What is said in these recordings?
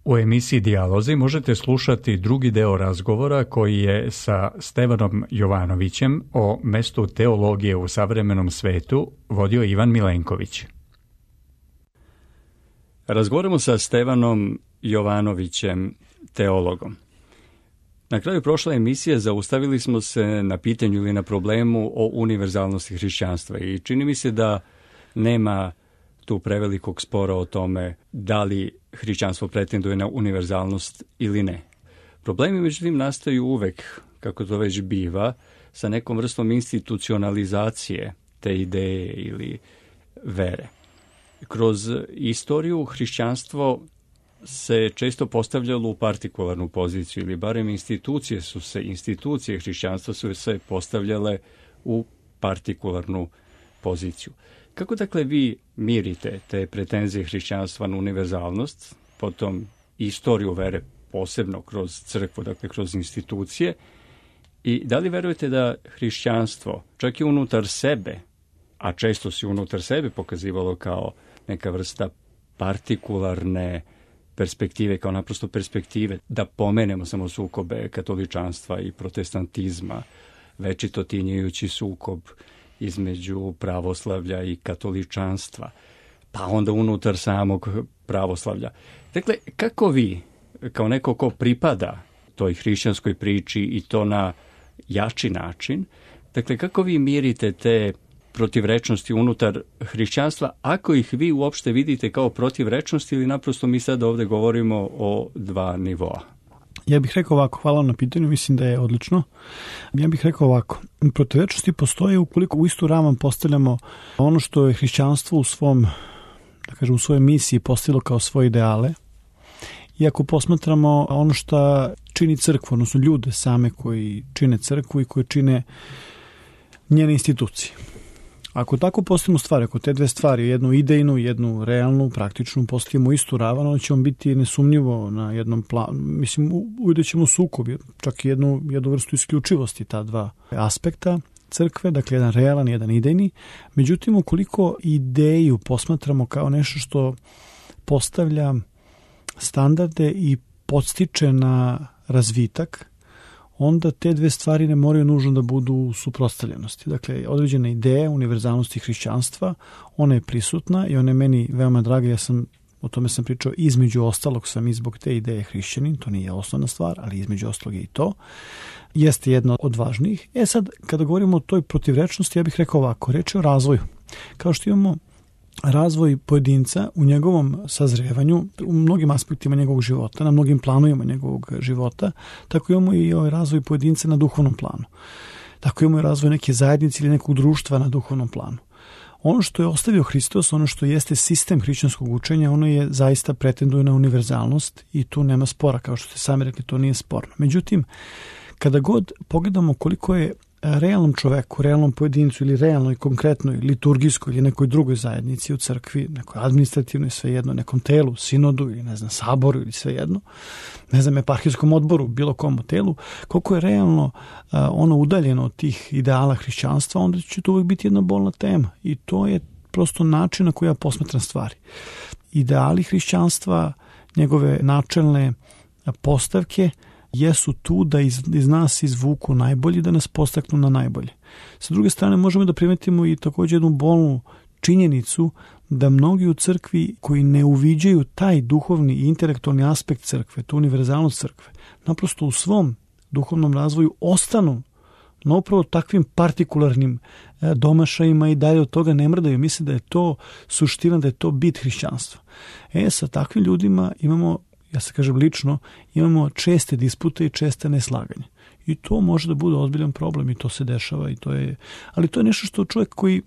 U emisiji Dijalozi možete slušati drugi deo razgovora koji je sa Stevanom Jovanovićem o mestu teologije u savremenom svetu vodio Ivan Milenković. Razgovaramo sa Stevanom Jovanovićem, teologom. Na kraju prošle emisije zaustavili smo se na pitanju ili na problemu o univerzalnosti hrišćanstva i čini mi se da nema tu prevelikog spora o tome da li hrišćanstvo pretenduje na univerzalnost ili ne. Problemi međutim nastaju uvek, kako to već biva, sa nekom vrstom institucionalizacije te ideje ili vere. Kroz istoriju hrišćanstvo se često postavljalo u partikularnu poziciju ili barem institucije hrišćanstva su se postavljale u partikularnu poziciju. Kako dakle vi mirite te pretenzije hrišćanstva na univerzalnost, potom istoriju vere posebno kroz crkvu, dakle kroz institucije, i da li verujete da hrišćanstvo čak i unutar sebe, a često se unutar sebe pokazivalo kao neka vrsta partikularne perspektive, kao naprosto perspektive, da pomenemo samo sukobe katoličanstva i protestantizma, večito tinjajući sukob između pravoslavlja i katoličanstva, pa onda unutar samog pravoslavlja. Dakle, kako vi, kao neko ko pripada toj hrišćanskoj priči i to na jači način, dakle, kako vi mirite te protivrečnosti unutar hrišćanstva, ako ih vi uopšte vidite kao protivrečnosti ili naprosto mi sad ovde govorimo o dva nivoa? Ja bih rekao ovako, hvala na pitanju, mislim da je odlično. Ja bih rekao ovako, protivrečnosti postoje ukoliko u istu ravan postavljamo ono što je hrišćanstvo u svom, da kažem, u svojoj misiji postavilo kao svoje ideale. I ako posmatramo ono što čini crkvu, odnosno ljude same koji čine crkvu i koji čine njene institucije. Ako tako postavimo stvari, ako te dve stvari, jednu idejnu, jednu realnu, praktičnu, postavimo istu ravan, onda ćemo biti nesumnjivo na jednom planu. Mislim, uvijek ćemo sukob, čak i jednu vrstu isključivosti ta dva aspekta crkve, dakle jedan realan, jedan idejni. Međutim, ukoliko ideju posmatramo kao nešto što postavlja standarde i podstiče na razvitak, onda te dve stvari ne moraju nužno da budu u suprotstavljenosti. Dakle, određena ideja univerzalnosti hrišćanstva, ona je prisutna i ona je meni veoma draga. O tome sam pričao, između ostalog sam i zbog te ideje hrišćanin, to nije osnovna stvar, ali između ostalog je i to. Jeste jedna od važnijih. Sad, kada govorimo o toj protivrečnosti, ja bih rekao ovako, reč je o razvoju. Kao što imamo razvoj pojedinca u njegovom sazrevanju, u mnogim aspektima njegovog života, na mnogim planovima njegovog života, tako imamo i ovaj razvoj pojedinca na duhovnom planu. Tako imamo i razvoj neke zajednice ili nekog društva na duhovnom planu. Ono što je ostavio Hristos, ono što jeste sistem hrišćanskog učenja, ono je zaista pretenduje na univerzalnost i tu nema spora, kao što ste sami rekli, to nije sporno. Međutim, kada god pogledamo koliko je realnom čoveku, realnom pojedincu ili realnoj, konkretnoj, liturgijskoj ili nekoj drugoj zajednici u crkvi, nekoj administrativnoj, svejedno, nekom telu, sinodu ili saboru ili svejedno, eparhijskom odboru, bilo kom telu, koliko je realno ono udaljeno od tih ideala hrišćanstva, onda će to uvijek biti jedna bolna tema i to je prosto način na koji ja posmatram stvari. Ideali hrišćanstva, njegove načelne postavke jesu tu da iz nas izvuku najbolji, da nas postaknu na najbolje. Sa druge strane, možemo da primetimo i također jednu bolnu činjenicu da mnogi u crkvi koji ne uviđaju taj duhovni i intelektualni aspekt crkve, tu univerzalnost crkve, naprosto u svom duhovnom razvoju ostanu na upravo takvim partikularnim domašajima i dalje od toga ne mrdaju. Misle da je to suština, da je to bit hrišćanstva. Sa takvim ljudima imamo, ja se kažem lično, imamo česte dispute i česte neslaganje. I to može da bude ozbiljan problem i to se dešava. Ali to je nešto što čovjek koji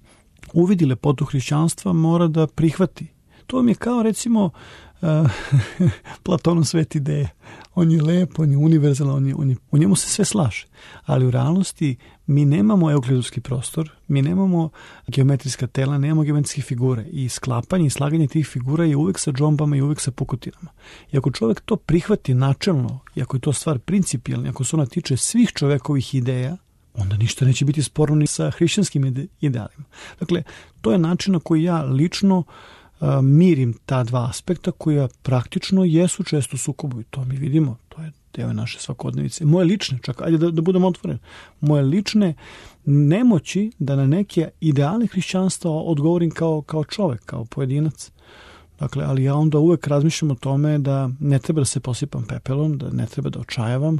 uvidi lepotu hrišćanstva mora da prihvati. To vam je kao recimo Platonov svet ideje. On je lep, on je univerzalan, u njemu se sve slaže. Ali u realnosti mi nemamo euklidovski prostor, mi nemamo geometrijska tela, nemamo geometrijske figure i sklapanje i slaganje tih figura je uvek sa džombama i uvek sa pukotinama. I ako čovjek to prihvati načelno, i ako je to stvar principijelna, ako se ona tiče svih čovekovih ideja, onda ništa neće biti sporno ni sa hrišćanskim idealima. Dakle, to je način na koji ja lično mirim ta dva aspekta koja praktično jesu često u sukobu i to mi vidimo, to je deo naše svakodnevice. Moje lične, čak, ajde da budem otvoren, moje lične nemoći da na neke ideale hrišćanstva odgovorim kao čovek, kao pojedinac. Dakle, ali ja onda uvek razmišljam o tome da ne treba da se posipam pepelom, da ne treba da očajavam.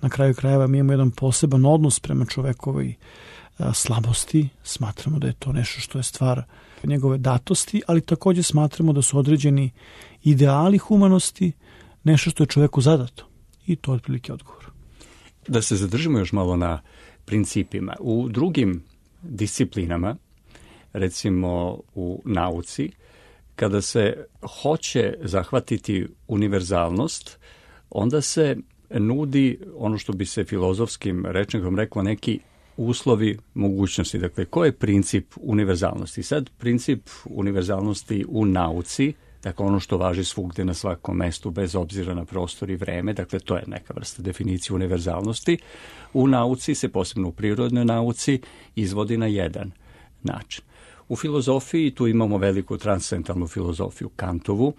Na kraju krajeva mi imamo jedan poseban odnos prema čovekovoj slabosti. Smatramo da je to nešto što je stvar njegove datosti, ali takođe smatramo da su određeni ideali humanosti nešto što je čoveku zadato. I to je otprilike odgovor. Da se zadržimo još malo na principima. U drugim disciplinama, recimo u nauci, kada se hoće zahvatiti univerzalnost, onda se nudi ono što bi se filozofskim rečnikom reklo neki uslovi mogućnosti. Dakle, koji je princip univerzalnosti? Sad, princip univerzalnosti u nauci, dakle ono što važi svugde na svakom mestu bez obzira na prostor i vreme, dakle to je neka vrsta definicije univerzalnosti. U nauci se, posebno u prirodnoj nauci, izvodi na jedan način. U filozofiji tu imamo veliku transcendentalnu filozofiju Kantovu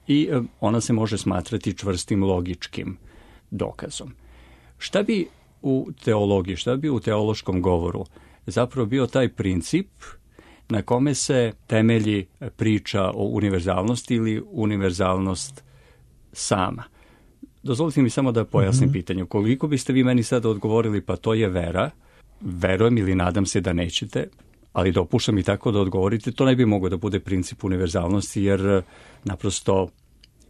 i ona se može smatrati čvrstim logičkim dokazom. Šta bi u teologiji, šta bi u teološkom govoru zapravo bio taj princip na kome se temelji priča o univerzalnosti ili univerzalnost sama? Dozvolite mi samo da pojasnim pitanje. Koliko biste vi meni sada odgovorili, pa to je vera, verujem ili nadam se da nećete, ali dopuštam i tako da odgovorite, to ne bi moglo da bude princip univerzalnosti, jer naprosto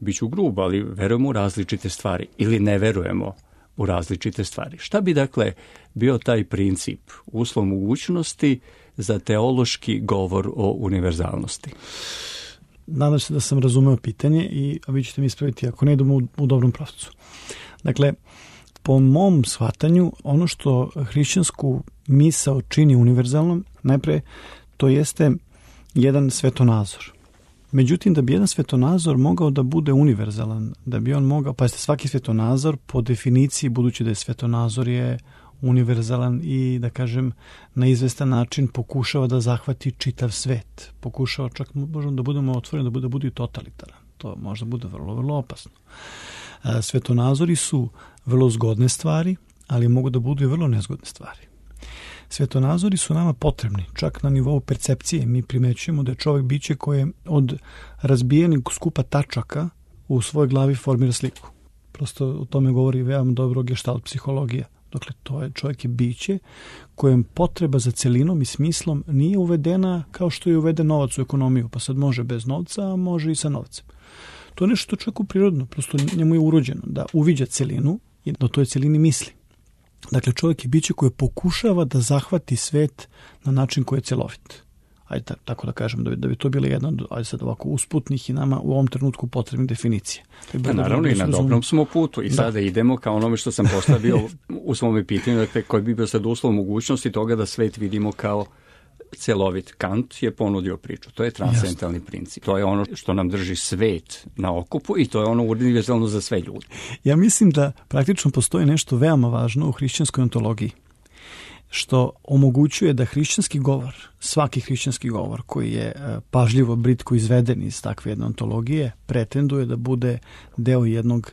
biću grub, ali verujemo u različite stvari ili ne verujemo u različite stvari. Šta bi dakle bio taj princip, uslov mogućnosti za teološki govor o univerzalnosti? Nadam se da sam razumeo pitanje i vi ćete mi ispraviti ako ne idemo u dobrom pravcu. Dakle, po mom shvatanju, ono što hrišćansku misao čini univerzalnom, najpre to jeste jedan svetonazor. Međutim, da bi jedan svetonazor mogao da bude univerzalan, da bi on mogao, pazite, svaki svetonazor po definiciji, budući da je svetonazor je univerzalan i, da kažem, na izvestan način pokušava da zahvati čitav svet. Pokušava, čak možemo da budemo otvoreni, da bude i totalitaran. To možda bude vrlo, vrlo opasno. Svetonazori su vrlo zgodne stvari, ali mogu da budu i vrlo nezgodne stvari. Svetonazori su nama potrebni, čak na nivou percepcije. Mi primećujemo da je čovjek biće koje od razbijenih skupa tačaka u svojoj glavi formira sliku. Prosto o tome govori veoma dobro gestalt psihologija. Dakle, čovjek je biće kojem potreba za celinom i smislom nije uvedena kao što je uveden novac u ekonomiju, pa sad može bez novca, a može i sa novcem. To je nešto što čovjeku prirodno, prosto njemu je urođeno da uviđa celinu i da o toj celini misli. Dakle, čovjek je biće koje pokušava da zahvati svet na način koji je celovit. Ajde tako da kažem, da bi to bila jedna od, ajde sad ovako, usputnih i nama u ovom trenutku potrebnih definicija. Naravno, i na dobrom smo putu. I sada idemo kao onome što sam postavio u svom pitanju, dakle, koji bi bio sad uslov mogućnosti toga da svet vidimo kao celovit. Kant je ponudio priču. To je transcendentalni princip. To je ono što nam drži svet na okupu i to je ono univerzalno za sve ljude. Ja mislim da praktično postoji nešto veoma važno u hrišćanskoj ontologiji, što omogućuje da hrišćanski govor, svaki hrišćanski govor koji je pažljivo, britko izveden iz takve jedne ontologije, pretenduje da bude deo jednog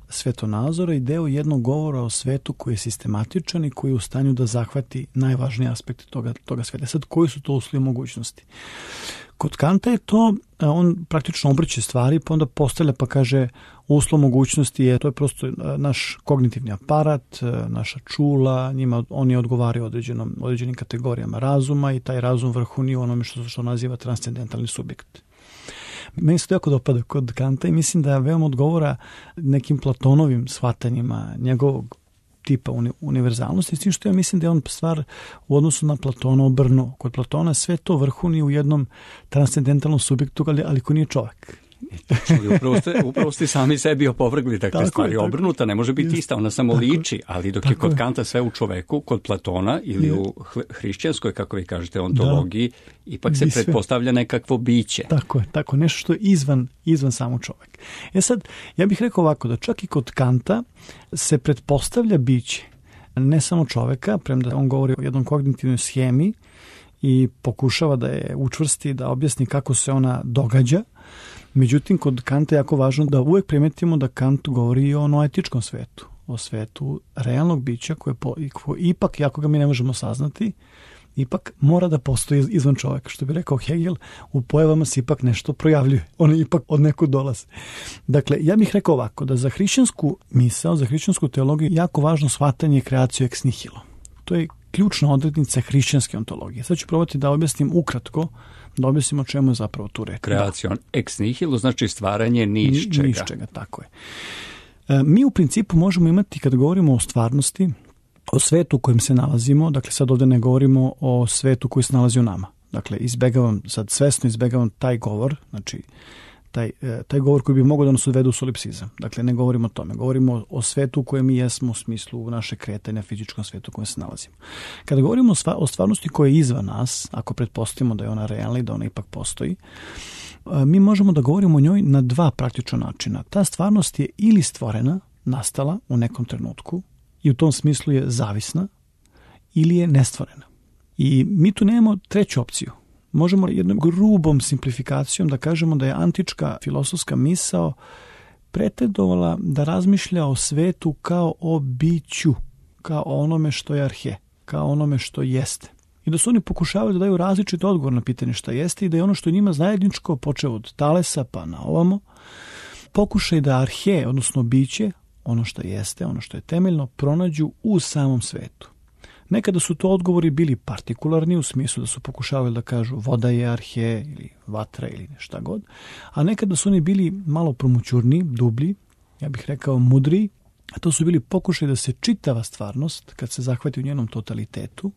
svetonazora i deo jednog govora o svetu koji je sistematičan i koji je u stanju da zahvati najvažnije aspekte toga sveta. Sad, koji su to uslovi mogućnosti? Kod Kanta je to, on praktično obrće stvari, pa onda postavlja pa kaže uslov mogućnosti to je prosto naš kognitivni aparat, naša čula, njima oni odgovaraju određenim kategorijama razuma i taj razum vrhuni u onome što naziva transcendentalni subjekt. Meni se to jako dopada kod Kanta i mislim da veoma odgovora nekim Platonovim shvatanjima njegovog tipa univerzalnosti, s tim što ja mislim da je on stvar u odnosu na Platona obrnuo. Kod Platona sve to vrhuni u jednom transcendentalnom subjektu, ali ko nije čovjek. Upravo ste sami sebi opovrgli takve stvari. Obrnuta ne može biti ista, ona samo liči, ali dok je kod Kanta sve u čoveku, kod Platona ili u hrišćanskoj, kako vi kažete, ontologiji, ipak se pretpostavlja nekakvo biće. Tako, nešto što je izvan samo čovek. Sad, ja bih rekao ovako, da čak i kod Kanta se pretpostavlja biće, ne samo čoveka, premda on govori o jednom kognitivnoj schemi i pokušava da je učvrsti, da objasni kako se ona događa. Međutim, kod Kanta je jako važno da uvek primetimo da Kant govori i o noetičkom svetu, o svetu realnog bića koje ipak, jako ga mi ne možemo saznati, ipak mora da postoji izvan čoveka. Što bi rekao Hegel, u pojavama se ipak nešto projavljuje. One ipak od nekud dolaze. Dakle, ja bih rekao ovako, da za hrišćansku misao, za hrišćansku teologiju jako važno shvatanje kreaciju ex nihilo. To je ključna odrednica hrišćanske ontologije. Sad ću probati da objasnim ukratko, da objasnim o čemu je zapravo tu reč. Kreacijom ex nihilo znači stvaranje ni iz čega. Ni iz čega, tako je. Mi u principu možemo imati, kada govorimo o stvarnosti, o svetu u kojem se nalazimo, dakle sad ovdje ne govorimo o svetu koji se nalazi u nama. Dakle, svesno izbegavam taj govor, znači taj govor koji bi mogao da nas odvede u solipsizam. Dakle, ne govorimo o tome. Govorimo o svetu u kojem mi jesmo u smislu naše kretanja, fizičkom svetu u kojem se nalazimo. Kada govorimo o stvarnosti koja je izvan nas, ako pretpostavimo da je ona realna i da ona ipak postoji, mi možemo da govorimo o njoj na dva praktična načina. Ta stvarnost je ili stvorena, nastala u nekom trenutku i u tom smislu je zavisna, ili je nestvorena. I mi tu nemamo treću opciju. Možemo jednom grubom simplifikacijom da kažemo da je antička filosofska misao pretendovala da razmišlja o svetu kao o biću, kao o onome što je arhe, kao onome što jeste. I da su oni pokušavali da daju različit odgovor na pitanje šta jeste i da je ono što je njima zajedničko, počeo od Talesa pa na ovamo, pokušaj da arhe, odnosno biće, ono što jeste, ono što je temeljno, pronađu u samom svetu. Nekada su to odgovori bili partikularni u smislu da su pokušavali da kažu voda je arhe ili vatra ili šta god, a nekada su oni bili malo promućurni, dublji, ja bih rekao mudri, a to su bili pokušaj da se čitava stvarnost, kad se zahvati u njenom totalitetu,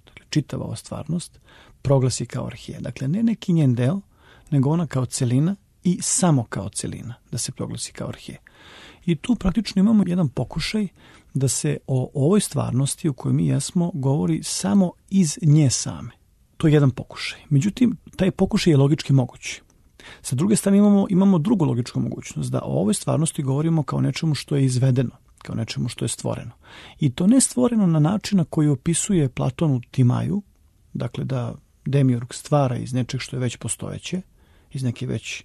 dakle čitava ova stvarnost, proglasi kao arhe. Dakle, ne neki njen deo, nego ona kao celina i samo kao celina da se proglasi kao arhe. I tu praktično imamo jedan pokušaj da se o ovoj stvarnosti u kojoj mi jesmo govori samo iz nje same. To je jedan pokušaj. Međutim, taj pokušaj je logički moguć. Sa druge strane imamo drugu logičku mogućnost, da o ovoj stvarnosti govorimo kao nečemu što je izvedeno, kao nečemu što je stvoreno. I to ne stvoreno na način na koji opisuje Platon u Timaju, dakle da demiurg stvara iz nečeg što je već postojeće, iz neke već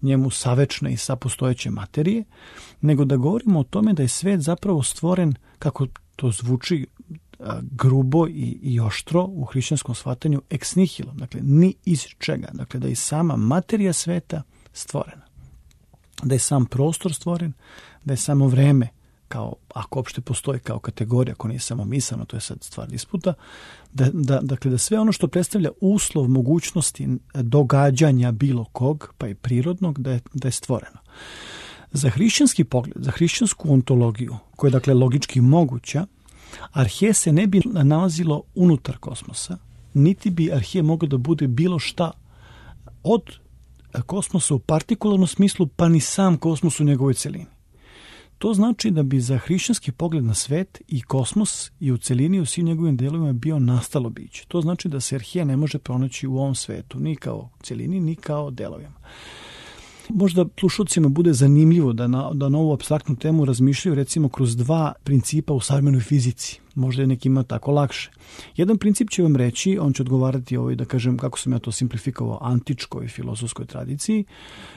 njemu savečne i sapostojeće materije, nego da govorimo o tome da je svet zapravo stvoren, kako to zvuči grubo i oštro u hrišćanskom shvatanju, ex nihilo, dakle ni iz čega, dakle da je sama materija sveta stvorena, da je sam prostor stvoren, da je samo vreme, kao, ako uopšte postoji kao kategorija, ako nije samo misleno, to je sad stvar disputa, dakle da sve ono što predstavlja uslov mogućnosti događanja bilo kog, pa i prirodnog, da je stvoreno. Za hrišćanski pogled, za hrišćansku ontologiju, koja je dakle logički moguća, arhe se ne bi nalazilo unutar kosmosa, niti bi arhe moglo da bude bilo šta od kosmosa u partikularnom smislu, pa ni sam kosmos u njegovoj celini. To znači da bi za hrišćanski pogled na svet i kosmos i u celini u svim njegovim delovima bio nastalo biće. To znači da se arhe ne može pronaći u ovom svetu, ni kao celini, ni kao delovima. Možda slušalcima bude zanimljivo da na ovu apstraktnu temu razmišljaju recimo kroz dva principa u savremenoj fizici. Možda je nekima tako lakše. Jedan princip će vam reći, on će odgovarati da kažem kako sam ja to simplifikovao, antičkoj filozofskoj tradiciji,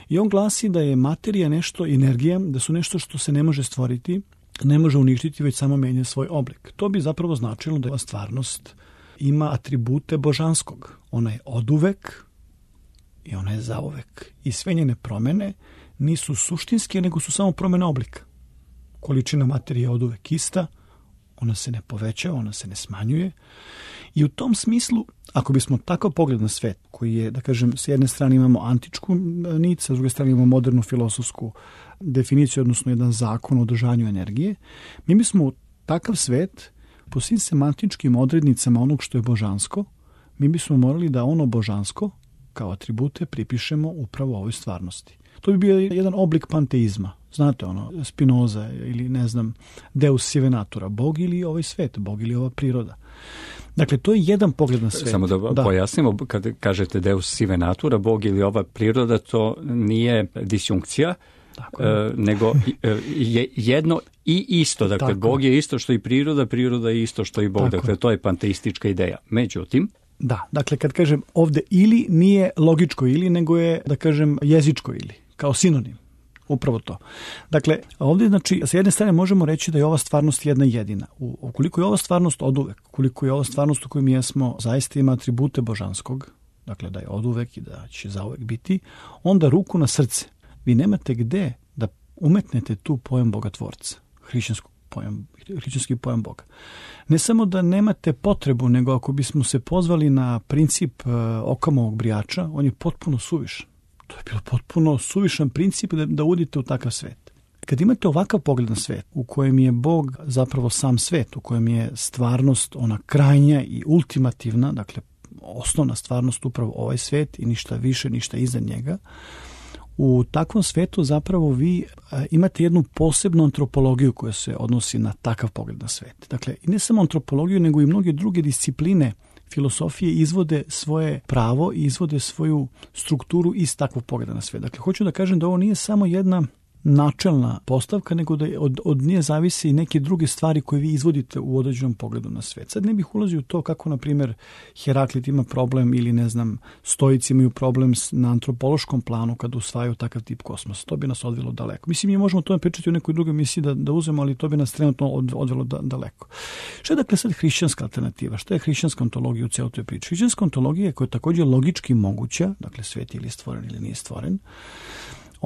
i on glasi da je materija nešto, energija, da su nešto što se ne može stvoriti, ne može uništiti, već samo menja svoj oblik. To bi zapravo značilo da stvarnost ima atribute božanskog. Ona je oduvek i ona je zauvek. I sve njene promene nisu suštinske, nego su samo promjena oblika. Količina materije je oduvek ista, ona se ne povećava, ona se ne smanjuje. I u tom smislu, ako bismo takav pogled na svet, koji je, da kažem, s jedne strane imamo antičku nit, s druge strane imamo modernu filosofsku definiciju, odnosno jedan zakon o održanju energije, mi bismo takav svet, po svim semantičkim odrednicama onog što je božansko, mi bismo morali da ono božansko, kao atribute, pripišemo upravo ovoj stvarnosti. To bi bio jedan oblik panteizma. Znate, Spinoza ili, ne znam, Deus sive natura, Bog ili ovaj svet, Bog ili ova priroda. Dakle, to je jedan pogled na svet. Samo da pojasnimo, kad kažete Deus sive natura, Bog ili ova priroda, to nije disjunkcija, nego je jedno i isto. Dakle, Bog je isto što i priroda, priroda je isto što i Bog. Dakle, to je panteistička ideja. Međutim, Da, dakle kad kažem ovde ili nije logičko ili, nego je, da kažem, jezičko ili, kao sinonim. Upravo to. Dakle, ovdje, znači, sa jedne strane možemo reći da je ova stvarnost jedna jedina. Ukoliko je ova stvarnost oduvek, ukoliko je ova stvarnost u kojoj mi jesmo zaista ima atribute božanskog, dakle da je oduvek i da će zauvek biti, onda ruku na srce. Vi nemate gde da umetnete tu pojam Bogotvorca, hrišćanski pojam Boga. Ne samo da nemate potrebu, nego ako bismo se pozvali na princip Okamovog brijača, on je potpuno suvišan. To je bilo potpuno suvišan princip da udite u takav svet. Kad imate ovakav pogled na svet, u kojem je Bog zapravo sam svet, u kojem je stvarnost ona krajnja i ultimativna, dakle osnovna stvarnost upravo ovaj svet i ništa više, ništa iza njega, u takvom svetu zapravo vi imate jednu posebnu antropologiju koja se odnosi na takav pogled na svet. Dakle, i ne samo antropologiju, nego i mnoge druge discipline filosofije izvode svoje pravo i izvode svoju strukturu iz takvog pogleda na svet. Dakle, hoću da kažem da ovo nije samo jedna načelna postavka, nego da od nje zavise i neke druge stvari koje vi izvodite u određenom pogledu na svet. Sad ne bih ulazio u to kako, na primjer, Heraklit ima problem ili, ne znam, stoici imaju problem na antropološkom planu kad usvajaju takav tip kosmosa. To bi nas odvelo daleko. Mislim, mi možemo to pričati u nekoj drugoj misiji da uzmemo, ali to bi nas trenutno odvelo daleko. Šta je dakle sad hrišćanska alternativa? Šta je hrišćanska ontologija u cijeloj toj priči? Hrišćanska ontologija koja je također logički moguća, dakle svet ili je stvoren ili nije stvoren,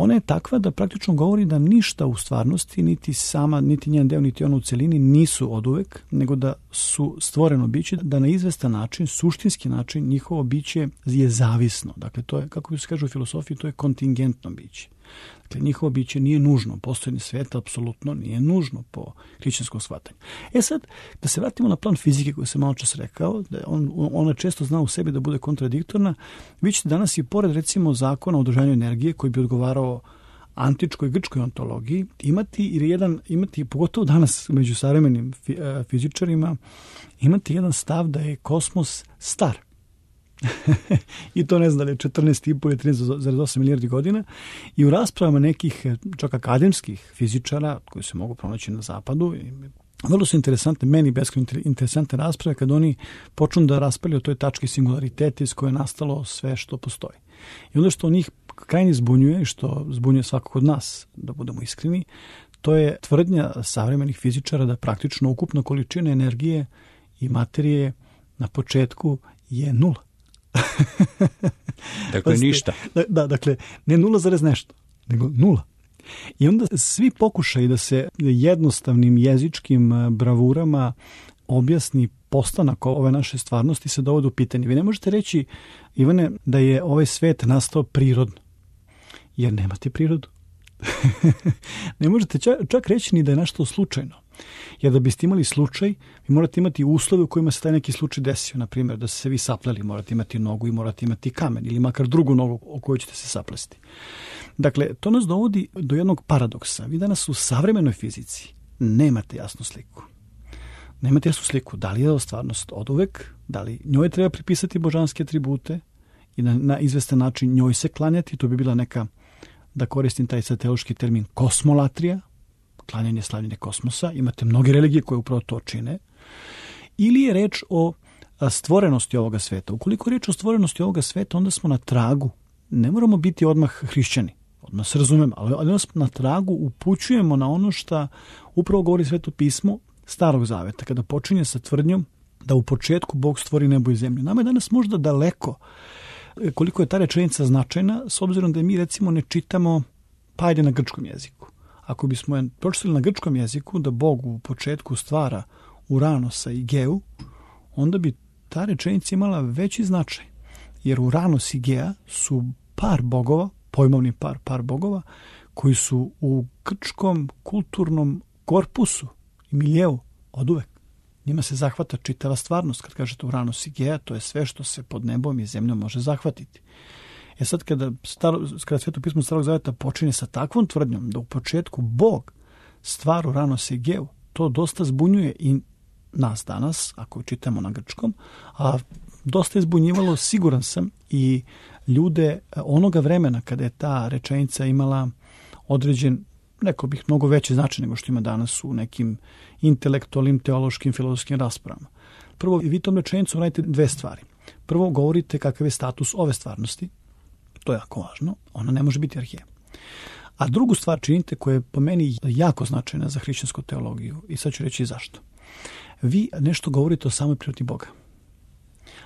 ona je takva da praktično govori da ništa u stvarnosti, niti sama, niti njen deo, niti ona u celini nisu oduvek, nego da su stvoreno biće, da na izvestan način, suštinski način, njihovo biće je zavisno. Dakle, to je, kako se kaže u filosofiji, to je kontingentno biće. Dakle, njihovo biće nije nužno. Postojanje sveta apsolutno nije nužno po hrišćanskom shvatanju. Sad, da se vratimo na plan fizike koji sam malo čas rekao, da ona često zna u sebi da bude kontradiktorna. Vi ćete danas i pored, recimo, zakona o održanju energije koji bi odgovarao antičkoj grčkoj ontologiji imati pogotovo danas među savremenim fizičarima, imati jedan stav da je kosmos star. I to ne znam da li je 14,5 ili 13,8 milijardi godina. I u raspravama nekih čak akademskih fizičara koji se mogu pronaći na zapadu, vrlo su interesantne, meni beskrajno interesantne rasprave kad oni počnu da raspravljaju o toj tački singularitete iz koje je nastalo sve što postoji. I onda što njih krajnje zbunjuje i što zbunjuje svakog od nas, da budemo iskreni, to je tvrdnja savremenih fizičara da praktično ukupna količina energije i materije na početku je nula. Dakle, ništa. Da, dakle, ne 0, nešto, nego nula. I onda svi pokušaju da se jednostavnim jezičkim bravurama objasni postanak ove naše stvarnosti se dovode u pitanje. Vi ne možete reći, Ivane, da je ovaj svet nastao prirodno, jer nemate prirodu. Ne možete čak reći ni da je nešto slučajno. Jer da biste imali slučaj, vi morate imati uslove u kojima se taj neki slučaj desio. Na primjer, da ste se vi sapleli, morate imati nogu i morate imati kamen ili makar drugu nogu o kojoj ćete se saplesti. Dakle, to nas dovodi do jednog paradoksa. Vi danas u savremenoj fizici nemate jasnu sliku. Nemate jasnu sliku da li je ovo stvarnost oduvek, da li njoj treba pripisati božanske atribute i na izvestan način njoj se klanjati. To bi bila neka, da koristim taj teološki termin, kosmolatrija, klanjanje, slavljenje kosmosa. Imate mnoge religije koje upravo to čine. Ili je reč o stvorenosti ovoga sveta. Ukoliko je reč o stvorenosti ovoga sveta, onda smo na tragu. Ne moramo biti odmah hrišćani. Odmah se razumemo, ali onda smo na tragu, upućujemo na ono što upravo govori Sveto pismo Starog Zaveta, kada počinje sa tvrdnjom da u početku Bog stvori nebo i zemlju. Nama je danas možda daleko koliko je ta rečenica značajna, s obzirom da mi recimo ne čitamo, pa ajde na grčkom jeziku. Ako bismo je pročitali na grčkom jeziku da Bog u početku stvara Uranosa i Geu, onda bi ta rečenica imala veći značaj. Jer Uranos i Gea su par bogova, pojmovni par bogova, koji su u grčkom kulturnom korpusu i miljeu oduvek. Njima se zahvata čitava stvarnost. Kad kažete Uranos i Gea, to je sve što se pod nebom i zemljom može zahvatiti. Sad kada Sveto pismo Starog Zaveta počinje sa takvom tvrdnjom da u početku Bog stvara Uranos i Geu, to dosta zbunjuje i nas danas, ako čitamo na grčkom, a dosta je zbunjivalo, siguran sam, i ljude onoga vremena kada je ta rečenica imala određen, neko bih mnogo veće značaj nego što ima danas u nekim intelektualnim, teološkim, filozofskim raspravama. Prvo, vi tom rečenicom radite dve stvari. Prvo govorite kakav je status ove stvarnosti, to je jako važno, ona ne može biti arheja. A drugu stvar činite koja je po meni jako značajna za hrišćansku teologiju i sad ću reći zašto. Vi nešto govorite o samoj prirodi Boga.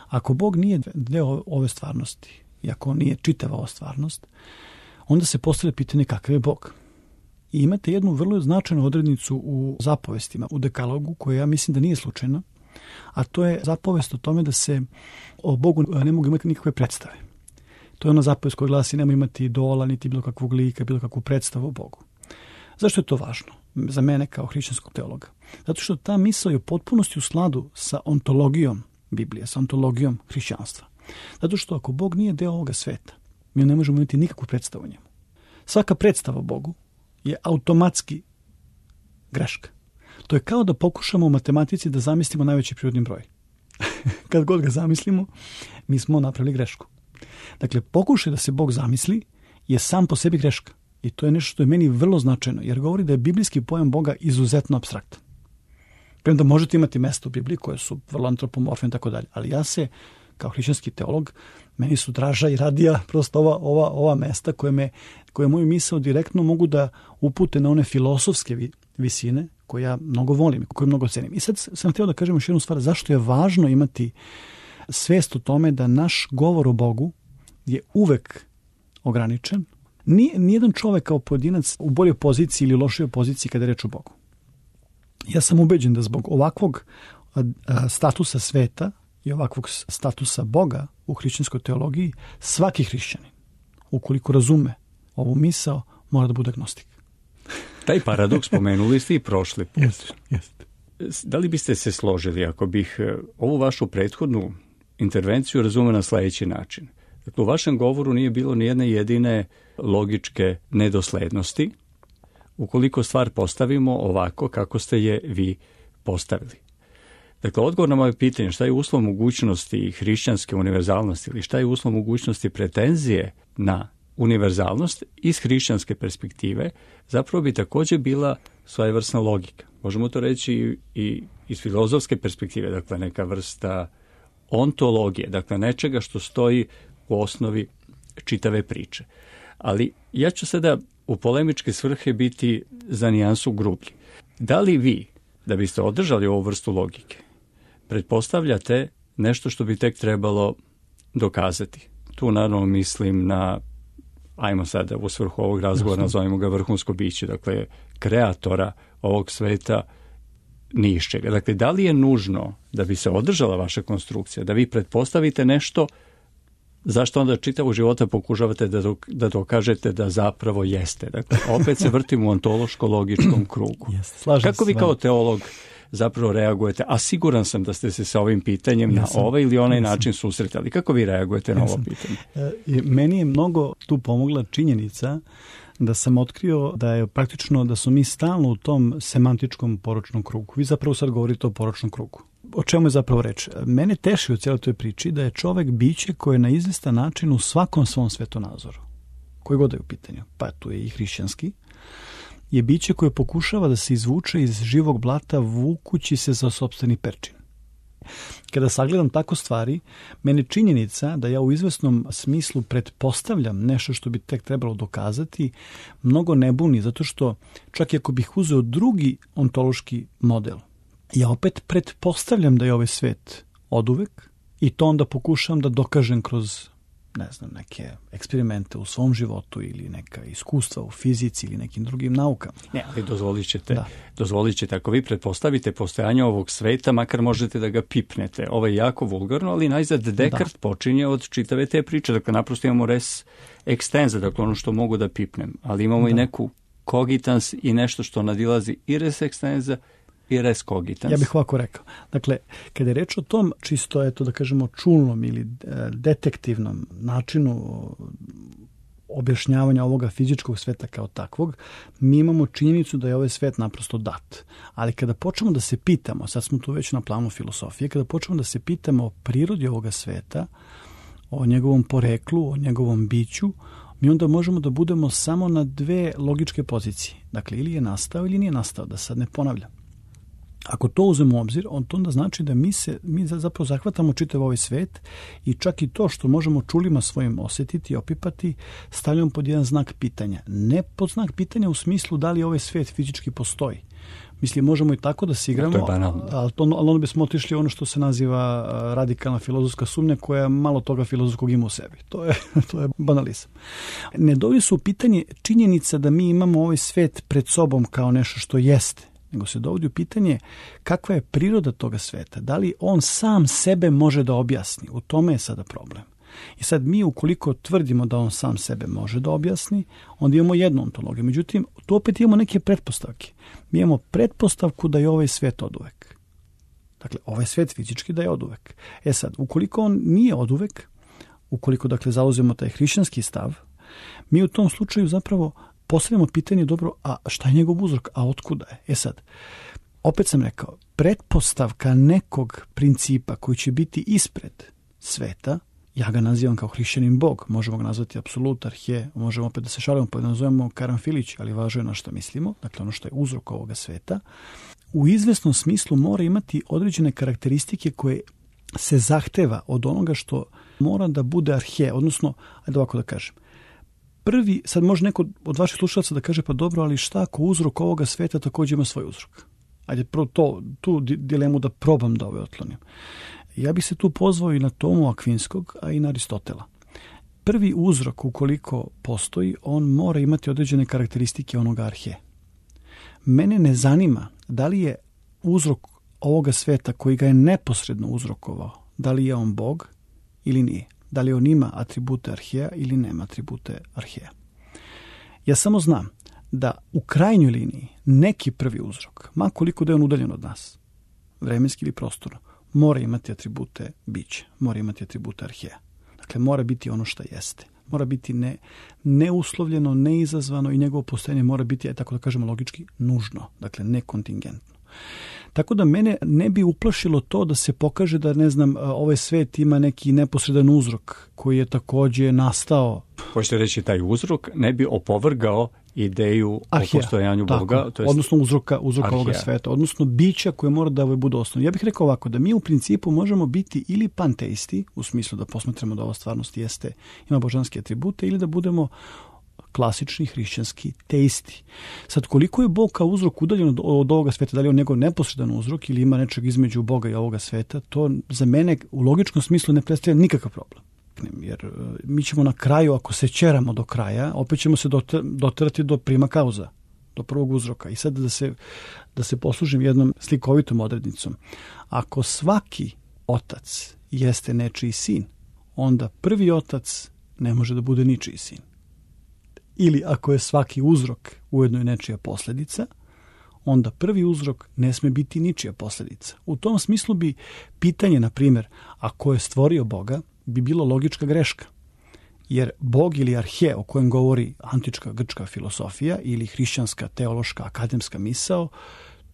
Ako Bog nije deo ove stvarnosti i ako on nije čitava ova stvarnost, onda se postavlja pitanje kakav je Bog. I imate jednu vrlo značajnu odrednicu u zapovestima, u dekalogu, koja ja mislim da nije slučajna, a to je zapovest o tome da se o Bogu ne mogu imati nikakve predstave. To je ona zapovest koja glasi nemoj imati idola, niti bilo kakvog lika, bilo kakvu predstavu o Bogu. Zašto je to važno za mene kao hrišćanskog teologa? Zato što ta misao je u potpunosti u skladu sa ontologijom Biblije, sa ontologijom hrišćanstva. Zato što ako Bog nije deo ovoga sveta, mi ne možemo imati nikakvu predstavu o njemu. Svaka predstava o Bogu je automatski greška. To je kao da pokušamo u matematici da zamislimo najveći prirodni broj. Kad god ga zamislimo, mi smo napravili grešku. Dakle, pokušaj da se Bog zamisli je sam po sebi greška. I to je nešto što je meni vrlo značajno, jer govori da je biblijski pojam Boga izuzetno apstraktan. Premda možete imati mesta u Bibliji koje su vrlo antropomorfne i tako dalje, ali ja se, kao hrišćanski teolog, meni su draža i radija prosto ova mesta koje moju misao direktno mogu da upute na one filosofske visine koje ja mnogo volim i koje mnogo cenim. I sad sam htio da kažem još jednu stvar, zašto je važno imati svest o tome da naš govor o Bogu je uvek ograničen. Nijedan čovek kao pojedinac u boljoj poziciji ili lošoj poziciji kada je reč o Bogu. Ja sam ubeđen da zbog ovakvog statusa sveta i ovakvog statusa Boga u hrišćanskoj teologiji, svaki hrišćanin, ukoliko razume ovu misao, mora da bude agnostik. Taj paradoks spomenuli ste i prošli put. Jeste. Da li biste se složili ako bih ovu vašu prethodnu intervenciju razumeo na sledeći način? Dakle, u vašem govoru nije bilo ni jedne jedine logičke nedoslednosti ukoliko stvar postavimo ovako kako ste je vi postavili. Dakle, odgovor na moje pitanje šta je uslov mogućnosti hrišćanske univerzalnosti ili šta je uslov mogućnosti pretenzije na univerzalnost iz hrišćanske perspektive zapravo bi također bila svojevrsna logika. Možemo to reći i iz filozofske perspektive, dakle neka vrsta ontologije, dakle nečega što stoji u osnovi čitave priče. Ali ja ću sada u polemičke svrhe biti za nijansu grublji. Da li vi, da biste održali ovu vrstu logike, pretpostavljate nešto što bi tek trebalo dokazati? Tu naravno mislim na, ajmo sada u svrhu ovog razgovora, nazovimo ga vrhunsko biće, dakle kreatora ovog sveta ni iz čega. Dakle, da li je nužno da bi se održala vaša konstrukcija, da vi pretpostavite nešto zašto onda čitavog života pokušavate da dokažete da zapravo jeste? Dakle, opet se vrtimo u ontološko-logičkom krugu. Kako vi kao teolog zapravo reagujete, a siguran sam da ste se sa ovim pitanjem na ovaj ili onaj način susretali. Kako vi reagujete na ovo pitanje? Meni je mnogo tu pomogla činjenica da sam otkrio da je praktično da su mi stalno u tom semantičkom poročnom krugu. Vi zapravo sad govorite o poročnom krugu. O čemu je zapravo reč? Mene teši u cijeloj toj priči da je čovek biće koje je na izvestan način u svakom svom svetonazoru, koji god je u pitanju, pa tu je i hrišćanski, je biće koje pokušava da se izvuče iz živog blata vukući se za sopstveni perčin. Kada sagledam tako stvari, mene činjenica da ja u izvesnom smislu pretpostavljam nešto što bi tek trebalo dokazati, mnogo ne buni, zato što čak i ako bih uzeo drugi ontološki model, ja opet pretpostavljam da je ovaj svet oduvek i to onda pokušam da dokažem kroz, ne znam, neke eksperimente u svom životu ili neka iskustva u fizici ili nekim drugim naukama. Ne, ali dozvolit ćete, ako vi pretpostavite postojanje ovog sveta, makar možete da ga pipnete. Ovo je jako vulgarno, ali najzad Descartes počinje od čitave te priče. Dakle, naprosto imamo res extensa, dakle ono što mogu da pipnem, ali imamo i neku cogitans i nešto što nadilazi i res extensa i res cogitans. Ja bih ovako rekao. Dakle, kada je reč o tom čisto, eto da kažemo, čulnom ili detektivnom načinu objašnjavanja ovoga fizičkog sveta kao takvog, mi imamo činjenicu da je ovaj svet naprosto dat. Ali kada počnemo da se pitamo, sad smo tu već na planu filosofije, kada počnemo da se pitamo o prirodi ovoga sveta, o njegovom poreklu, o njegovom biću, mi onda možemo da budemo samo na dve logičke pozicije. Dakle, ili je nastao ili nije nastao, da sad ne ponavljam. Ako to uzmemo u obzir, to onda znači da mi zapravo zahvatamo čitav ovaj svet i čak i to što možemo čulima svojim osjetiti i opipati, stavljamo pod jedan znak pitanja. Ne pod znak pitanja u smislu da li ovaj svet fizički postoji. Mislim, možemo i tako da se igramo, ali onda bismo otišli ono što se naziva radikalna filozofska sumnja koja malo toga filozofskog ima u sebi. To je banalizam. Ne dovodi se u pitanje činjenica da mi imamo ovaj svet pred sobom kao nešto što jeste, nego se dovodi u pitanje kakva je priroda toga sveta. Da li on sam sebe može da objasni? U tome je sada problem. I sad mi ukoliko tvrdimo da on sam sebe može da objasni, onda imamo jednu ontologiju. Međutim, tu opet imamo neke pretpostavke. Mi imamo pretpostavku da je ovaj svet oduvek. Dakle, ovaj svet fizički da je oduvek. Sad, ukoliko on nije oduvek, ukoliko dakle zauzemo taj hrišćanski stav, mi u tom slučaju zapravo postavljamo pitanje, dobro, a šta je njegov uzrok, a otkuda je? Sad, opet sam rekao, pretpostavka nekog principa koji će biti ispred sveta, ja ga nazivam kao hrišćanin Bog, možemo ga nazvati apsolut, arhe, možemo opet da se šalimo pa da nazovemo karanfilić, ali važno je na što mislimo, dakle ono što je uzrok ovoga sveta, u izvesnom smislu mora imati određene karakteristike koje se zahteva od onoga što mora da bude arhe, odnosno, ajde ovako da kažem, prvi, sad može neko od vaših slušalaca da kaže, pa dobro, ali šta ako uzrok ovoga sveta također ima svoj uzrok? Ajde, prvo tu dilemu da probam da otlonim. Ja bih se tu pozvao i na Tomu Akvinskog, a i na Aristotela. Prvi uzrok, ukoliko postoji, on mora imati određene karakteristike onoga arhe. Mene ne zanima da li je uzrok ovoga sveta koji ga je neposredno uzrokovao, da li je on Bog ili nije. Da li on ima atribute arheja ili nema atribute arheja. Ja samo znam da u krajnjoj liniji neki prvi uzrok, ma koliko da je on udaljen od nas, vremenski ili prostorno, mora imati atribute bića, mora imati atribute arheja. Dakle, mora biti ono što jeste. Mora biti neuslovljeno, neizazvano i njegovo postojanje mora biti, tako da kažemo logički, nužno, dakle nekontingentno. Tako da mene ne bi uplašilo to da se pokaže da, ne znam, ovaj svet ima neki neposredan uzrok koji je također nastao. Hoćete reći, taj uzrok ne bi opovrgao ideju o postojanju Boga? To jest odnosno uzroka ovoga sveta, odnosno bića koje mora da budu osnovno. Ja bih rekao ovako, da mi u principu možemo biti ili panteisti, u smislu da posmatramo da ova stvarnost jeste, ima božanske atribute, ili da budemo klasični hrišćanski teisti. Sad, koliko je Bog kao uzrok udaljen od ovoga sveta, da li je on njegov neposredan uzrok ili ima nečeg između Boga i ovoga sveta, to za mene u logičkom smislu ne predstavlja nikakav problem. Jer mi ćemo na kraju, ako se ćeramo do kraja, opet ćemo se doterati do prima kauza, do prvog uzroka. I sad da se poslužim jednom slikovitom odrednicom. Ako svaki otac jeste nečiji sin, onda prvi otac ne može da bude ničiji sin. Ili ako je svaki uzrok ujedno je nečija posljedica, onda prvi uzrok ne sme biti ničija posljedica. U tom smislu bi pitanje, na primjer, ako je stvorio Boga, bi bilo logička greška. Jer Bog ili arhe, o kojem govori antička grčka filosofija ili hrišćanska teološka akademska misao,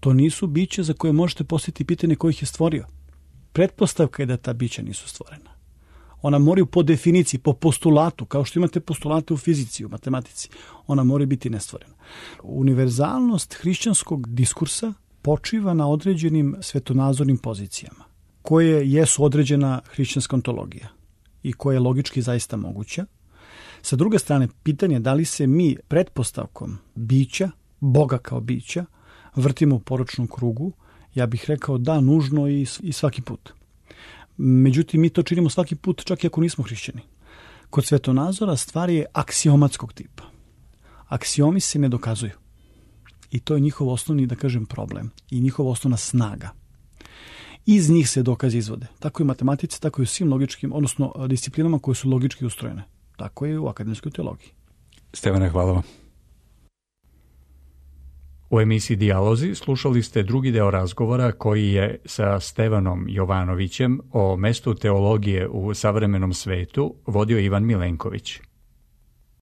to nisu biće za koje možete postaviti pitanje ko ih je stvorio. Pretpostavka je da ta bića nisu stvorena. Ona moraju po definiciji, po postulatu, kao što imate postulate u fizici, u matematici, ona mora biti nestvorena. Univerzalnost hrišćanskog diskursa počiva na određenim svetonazornim pozicijama, koje jesu određena hrišćanska ontologija i koja je logički zaista moguća. Sa druge strane, pitanje da li se mi pretpostavkom bića, Boga kao bića, vrtimo u poročnom krugu, ja bih rekao da, nužno i svaki put. Međutim, mi to činimo svaki put, čak i ako nismo hrišćani. Kod svetonazora stvar je aksiomatskog tipa. Aksiomi se ne dokazuju. I to je njihov osnovni, da kažem, problem. I njihova osnovna snaga. Iz njih se dokazi izvode. Tako i u matematici, tako i u svim logičkim, odnosno disciplinama koje su logički ustrojene. Tako je i u akademskoj teologiji. Stevane, hvala vam. U emisiji Dijalozi slušali ste drugi deo razgovora koji je sa Stevanom Jovanovićem o mestu teologije u savremenom svetu vodio Ivan Milenković.